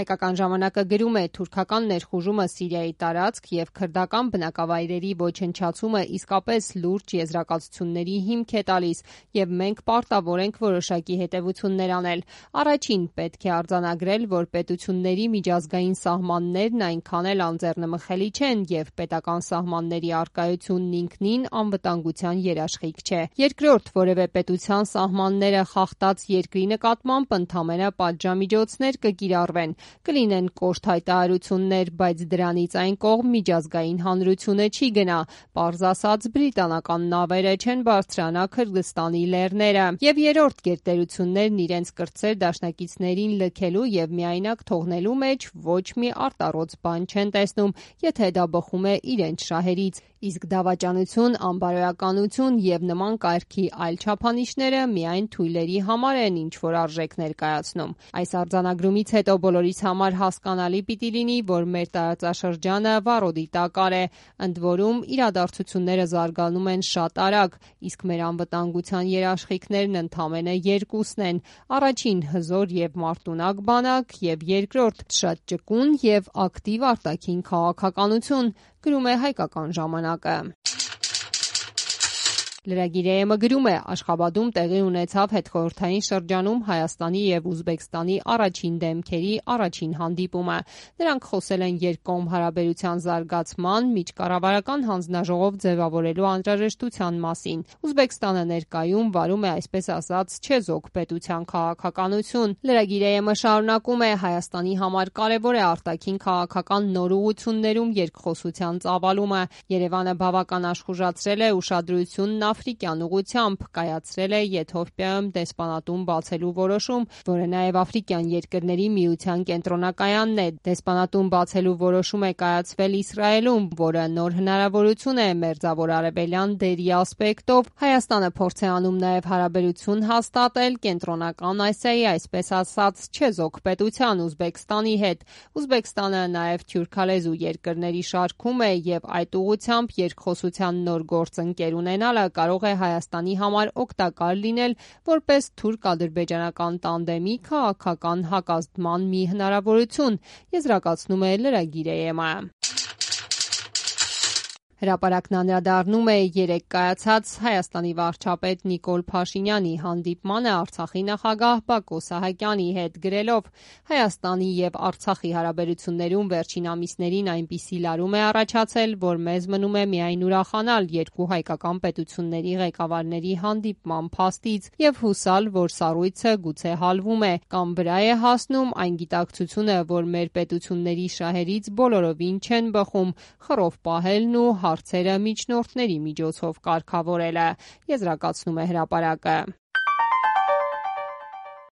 Հայկական ժամանակը գրում է՝ թուրքական ներխուժումը Սիրիայի տարածք եւ քրդական բնակավայրերի ոչնչացումը իսկապես լուրջ եզրակացությունների հիմք է տալիս եւ մենք պարտավոր ենք որոշակի հետեւություններ անել։ Առաջին պետք է արձանագրել, որ պետությունների միջազգային սահմաններն այնքան էլ անձեռնմխելի չեն եւ պետական սահմանների առկայությունն ինքնին անվտանգության երաշխիք չէ։ Երկրորդ, որևէ պետության սահմանները խախտած երկրի նկատմամբ ընդամենը պատժամիջոցներ կկիրառվեն, կլինեն կոշտ հայտարարություններ, բայց դրանից այն կողմ միջազգային հանրությունը չի գնա, պարզ ասած բրիտանական նավերը չեն բարձրանա Քրդստանի լեռները։ Եվ երրորդ, գերտերություններն իրենց կրտսեր դաշնակիցներին լքելու եւ միայնակ թողնելու մեջ ոչ մի արտառոց բան չեն տեսնում, եթե դա բխում է իրենց շահերից, իսկ դավաճանություն, անբարոյականություն եւ նման կարգի այլ չափանիշները միայն թույլերի համար են ինչ-որ արժեք ներկայացնում։ Այս արձանագրումից հետո բոլորիս համար հասկանալի պիտի լինի, որ մեր տարածաշրջանը վառոդի տակար է, ընդ որում իրադարձությունները զարգանում են շատ արագ, իսկ մեր անվտանգության երաշխիքներն ընդամենը երկուսն են՝ առաջին հզոր եւ մարտունակ բանակ, եւ երկրորդ շատ ճկուն եւ ակտիվ արտաքին քաղաքականություն, գրում է Հայկական ժամանակը։ Լրագիր գրում է՝ Աշխաբադում տեղի ունեցավ հետխորհրդային շրջանում Հայաստանի եւ Ուզբեկստանի առաջին դեմքերի առաջին հանդիպումը։ Նրանք խոսել են երկկողմ հարաբերության զարգացման, միջկառավարական հանձնաժողով ձևավորելու անհրաժեշտության մասին։ Ուզբեկստանը ներկայում վարում է այսպես ասած չեզոք պետության քաղաքականություն։ Լրագիր շարունակում է՝ Հայաստանի համար կարևոր է արտաքին քաղաքական նոր ուղղություններում երկխոսության ծավալումը։ Երևանը բավական աշխուժացրել է ուշադրությունն աֆրիկյան ուղղությամբ, կայացրել է Եթովպիայում դեսպանատուն բացելու որոշում, որը նաև Աֆրիկյան երկրների միության կենտրոնակայանն է։ Դեսպանատուն բացելու որոշում է կայացվել Իսրայելում, որը նոր հնարավորություն է Մերձավոր Արևելյան դերի ասպեկտով։ Հայաստանը փորձ է անում նաև հարաբերություն հաստատել Կենտրոնական Ասիայի, այսպես ասած, չեզոք պետության Ուզբեկստանի հետ։ Ուզբեկստանը նաև թյուրքալեզու երկրների շարքում է եւ այդ ուղղությամբ երկխոսության նոր գործընկեր ունենալը կարող է Հայաստանի համար օգտակար լինել որպես թուրք-ադրբեջանական տանդեմի քաղաքական հակազդման մի հնարավորություն, եզրակացնում է լրագիր-ը։ Հրապարակն անդրադառնում է երեկ կայացած Հայաստանի վարչապետ Նիկոլ Փաշինյանի հանդիպմանը Արցախի նախագահ Բակո Սահակյանի հետ, գրելով. Հայաստանի եւ Արցախի հարաբերություններում վերջին ամիսներին այնպիսի լարում է առաջացել, որ մեզ մնում է միայն ուրախանալ երկու հայկական պետությունների ղեկավարների հանդիպման փաստից եւ հուսալ, որ սառույցը գուցե հալվում է կամ վրա է հասնում այն գիտակցությունը, որ մեր պետությունների շահերից բոլորովին չեն բխում, խռով պահելն ու հարցերը միջնորդների միջոցով կարգավորելը, եզրակացնում է հրապարակը։